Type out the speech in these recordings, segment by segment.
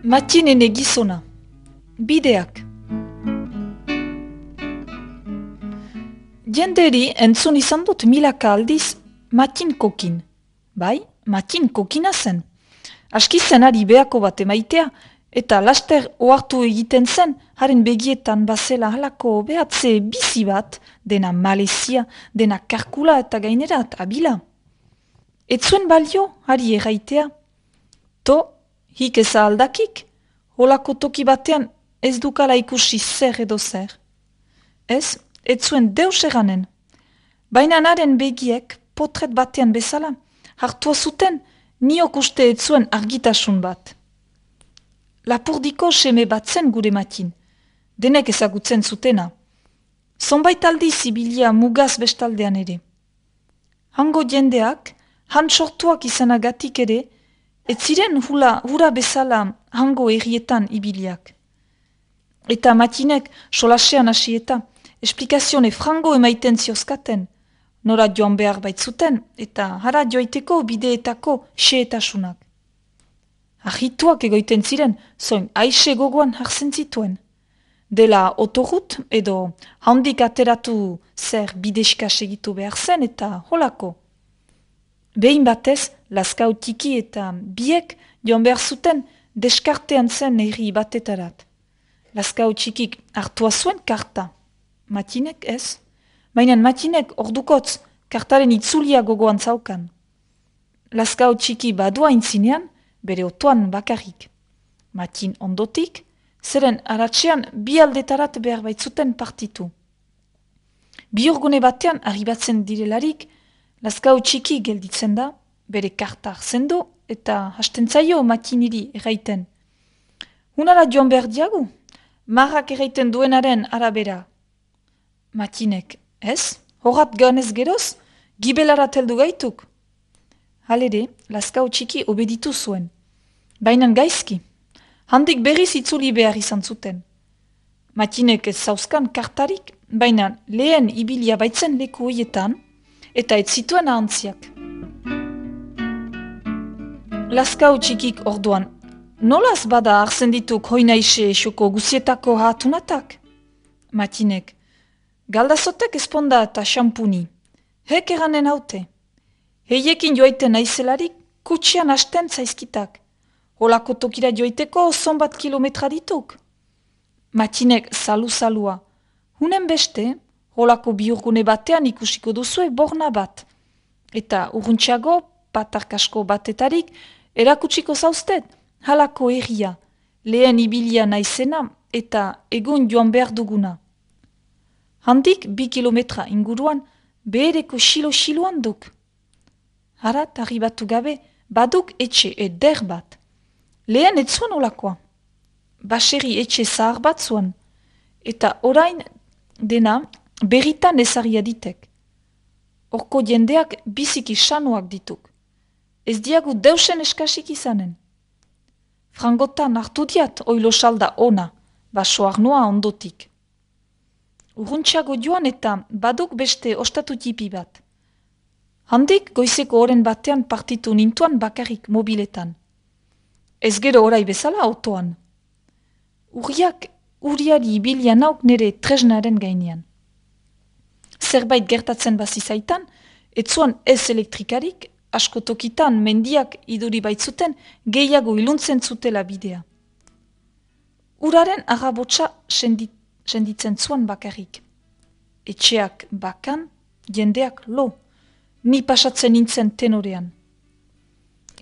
Matinen gizona. Bideak. Jenderi entzun izan dut milaka aldiz Matin kokin. Bai, Matin kokina zen. Aski zenari behako bat emaitea, eta laster ohartu egiten zen, haren begietan bazela halako behatze bizi bat, dena malezia, dena karkula eta gainerat abila. Ez zuen balio, hari erraitea. To, hik eza aldakik, holako toki batean ez dukala ikusi zer edo zer. Ez zuen deus eranen. Baina haren begiek, potret batean bezala, hartua zuten, niok uste ez zuen argitasun bat. Lapurdiko seme bat zen gure Matin, denek ezagutzen zutena. Zonbait aldiz ibilia mugaz bestaldean ere. Hango jendeak, han sortuak izanagatik ere, ez ziren hura bezala hango errietan ibiliak. Eta Matinek solasean hasi eta esplikazione frango emaiten ziozkaten, nora joan behar baitzuten eta hara joiteko bideetako xeetasunak. Ahituak egoiten ziren, zoin aixe gogoan hartzen zituen. Dela otorut edo handik ateratu zer bideska segitu behar zen eta holako. Behin batez, Laskau tiki eta biek joan behar zuten deskartean zen erri batetarat. Laskau txikik hartua zuen karta. Matinek ez. Baina Matinek ordukotz kartaren itzulia gogoan zaukan. Laskau txiki badua intzinean, bere otoan bakarrik. Matin ondotik, zeren aratsean bi aldetarat behar baitzuten partitu. Bi urgune batean arribatzen direlarik, Laskau txiki gelditzen da, bere karta hartzen du eta hasten zaio Matiniri erraiten. Hunara joan behar diagu, marrak erraiten duenaren arabera. Matinek, ez? Horat ganez geroz, gibelarat heldu gaituk. Halere, Laskau txiki obeditu zuen. Bainan gaizki. Handik berriz itzuli behar izan zuten. Matinek ez zauzkan kartarik, baina lehen ibilia baitzen leku hoietan, eta ez zituen ahantziak. Laskau txikik orduan, nolaz bada hartzen dituk hoinaixe xoko guzietako hatunatak? Matinek, galdazotek esponda eta xampuni. Hek eranen haute. Heiekin joaiten naizelarik kutsian hasten zaizkitak. Holako tokira joiteko zonbat kilometra dituk. Matinek salu-salua. Hunen beste, holako biurgune batean ikusiko duzue borna bat. Eta urruntxago, patarkasko batetarik, erakutsiko zauztet, halako erria, lehen ibilia naizena eta egun joan behar duguna. Handik 2 kilometra inguruan, behereko xilo-xiloan duk. Harat arribatu gabe, baduk etxe eder bat. Lehen ez zuen olakoa. Baserri etxe zahar bat zuen. Eta orain dena berritan ezaria ditek. Horko jendeak biziki sanuak dituk. Ez diagu deusen eskasik izanen. Frangotan hartu diat oilo salda ona, basoak noa ondotik. Urruntxago joan eta baduk beste ostatu tipi bat. Handik goizeko oren batean partitu nintuan bakarrik mobiletan. Ez gero orai bezala autoan. Uriari ibilia nauk nire tresnaren gainean. Zerbait gertatzen bazizaitan, etzuan ez elektrikarik, asko tokitan mendiak iduri baitzuten gehiago iluntzen zutela bidea. Uraren arrabotsa senditzen zuan bakarrik. Etxeak bakan, jendeak lo, ni pasatzen nintzen tenorean.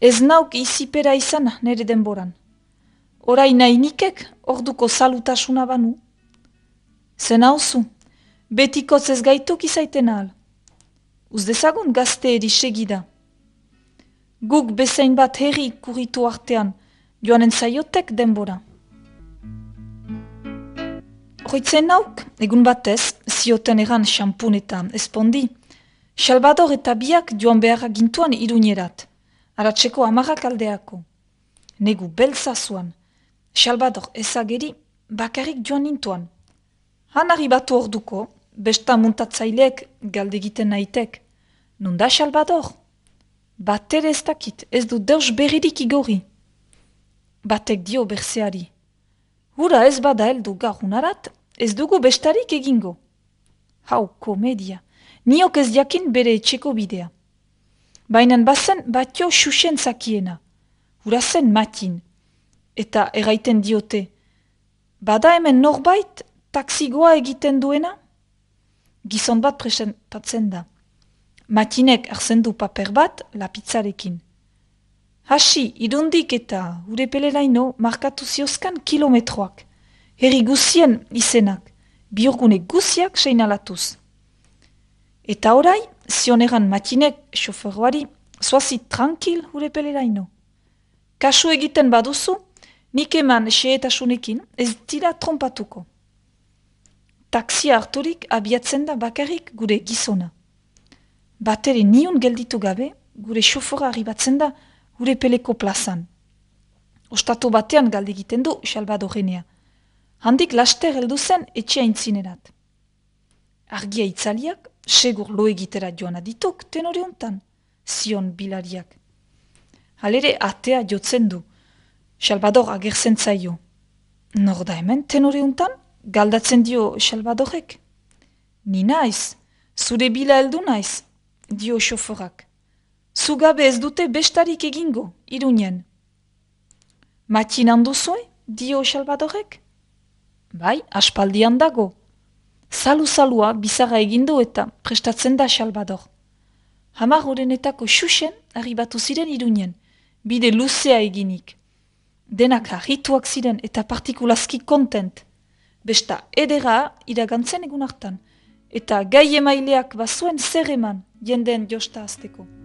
Ez nauk izipera izan nere denboran. Orai nahi nikek orduko salutasuna banu. Zen hauzu, betikotz ez gaituk izaiten ahal. Uzdezagun gazte eri segida. Guk bezain bat herri kuritu artean, joanen zaiotek denbora. Hoitzen nauk, egun batez, zioten eran xampun eta espondi, Salvador eta biak joan beharra gintuan Iruñerat, aratzeko 10 aldeako. Negu beltza zuan, Salvador ezageri bakarrik joan nintuan. Han arribatu orduko, besta muntatzailek galdegiten nahitek. Nunda Salvador? Batere ez dakit, ez du deus berririk igorri. Batek dio berzeari. Hura ez bada heldu garunarat, ez dugu bestarik egingo. Hau, komedia. Niok ez jakin bere etxeko bidea. Bainan bazen batio xuxen zakiena. Hura zen Matin. Eta erraiten diote. Bada hemen norbait taksigoa egiten duena? Gizon bat presentatzen da. Matinek hartzen du paper bat lapitzarekin. Hasi, irundik eta urepeleraino markatu ziozkan kilometroak. Herri guzien izenak, biurgune guziak seinalatuz. Eta orai, zioneran Matinek xoferoari, zoazit tranquil urepeleraino. Kasu egiten baduzu, nik eman xehetasunekin ez dira trompatuko. Taksia harturik abiatzen da bakarrik gure gizona. Batere niun gelditu gabe, gure xofora arribatzen da gure peleko plazan. Ostatu batean galdegiten du Salvadorenea. Handik laster heldu zen etxea intzinerat. Argia itzaliak, segur lo egitera joan adituk tenore hontan, zion bilariak. Halere atea jotzen du. Salvador agertzen zaio. Nor da hemen tenore hontan? Galdatzen dio Salvadorek. Ni naiz, zure bila heldu naiz, dio xoforak. Zugabe ez dute bestarik egingo, Iruñen. Matin handuzue, dio Salvadorek? Bai, aspaldian dago. Salu-salua bizarra egindu eta prestatzen da Salvador. Hamar horrenetako xuxen arribatu ziren Iruñen, bide luzea eginik. Denak harrituak ziren eta partikulazki kontent. Besta edera iragantzen egun hartan, eta gai emaileak bazuen zer eman jendeen josta azteko.